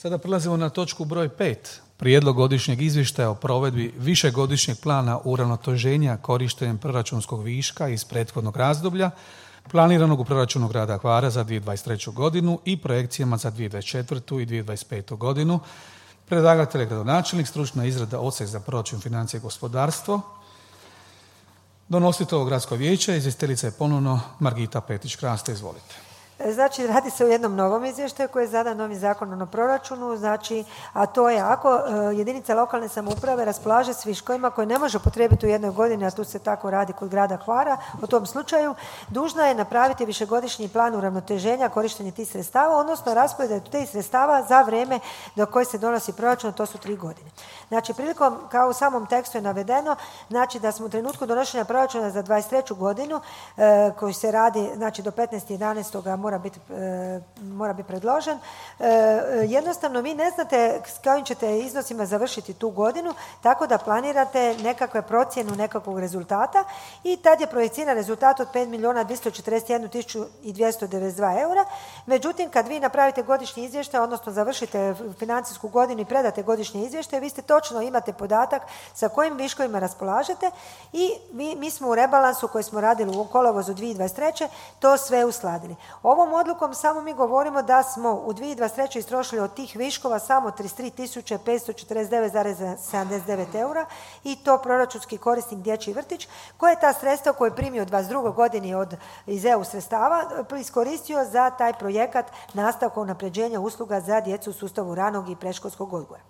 Sada prelazimo na točku broj 5. Prijedlog godišnjeg izvještaja o provedbi višegodišnjeg plana uravnoteženja korištenjem proračunskog viška iz prethodnog razdoblja, planiranog u proračunu grada Hvara za 2023. godinu i projekcijama za 2024. i 2025. godinu. Predlagatelj je gradonačelnik, stručna izrada Odsjek za proračun, financije i gospodarstvo. Donositelj ovog gradsko vijeće, izvjestiteljica je ponovno Margita Petić-Kraste, izvolite. Znači, radi se o jednom novom izvještaju koji je zadan novim zakonom o proračunu, znači, a to je ako jedinica lokalne samouprave raspolaže s viškovima koje ne može upotrijebiti u jednoj godini, a tu se tako radi kod grada Hvara, u tom slučaju dužna je napraviti višegodišnji plan uravnoteženja korištenja tih sredstava, odnosno raspored tih sredstava za vrijeme do koje se donosi proračun, to su 3 godine. Znači, prilikom, kao u samom tekstu je navedeno, znači da smo u trenutku donošenja proračuna za 2023. godinu, koji se radi, znači do 15.11. mora biti predložen. Jednostavno vi ne znate s kojim ćete iznosima završiti tu godinu, tako da planirate nekakve procjenu nekakvog rezultata i tad je projiciran rezultat od 5.241.292 eura. Međutim, kad vi napravite godišnji izvještaj, odnosno završite financijsku godinu i predate godišnje izvještaje, vi ste točno imate podatak sa kojim viškovima raspolažete i mi smo u rebalansu koji smo radili u kolovozu 2023. to sve uskladili. Ovom odlukom samo mi govorimo da smo u 2023. istrošili od tih viškova samo 33.549,79 eura i to proračunski korisnik dječji vrtić koje je ta sredstva koje je primio u 2022. godini iz EU sredstava iskoristio za taj projekat nastavka unapređenja usluga za djecu u sustavu ranog i predškolskog odgoja.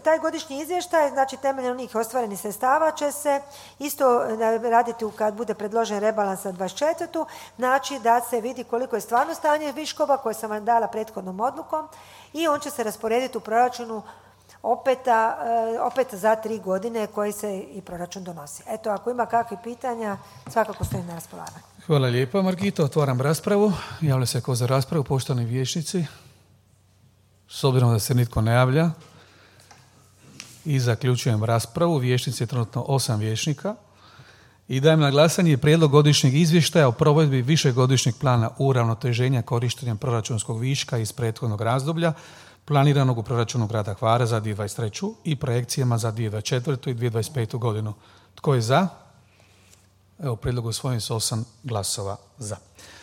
Taj godišnji izvještaj, znači temeljem onih ostvarenih sredstava će se isto raditi kad bude predložen rebalans za 24. Znači da se vidi koliko je stvarno stanje viškova koje sam vam dala prethodnom odlukom i on će se rasporediti u proračunu opet za 3 godine koji se i proračun donosi. Eto, ako ima kakvih pitanja, svakako stojim na raspolaganju. Hvala lijepa, Margito. Otvaram raspravu. Javlja se ko za raspravu, poštovani vijećnici. S obzirom da se nitko ne javlja i zaključujem raspravu. Vijećnici je trenutno 8 vijećnika i dajem na glasanje prijedlog godišnjeg izvještaja o provedbi višegodišnjeg plana uravnoteženja korištenjem proračunskog viška iz prethodnog razdoblja planiranog u proračunu grada Hvara za 2023. i projekcijama za 2024. i 2025. godinu. Tko je za? Evo, prijedlog usvojen s 8 glasova za.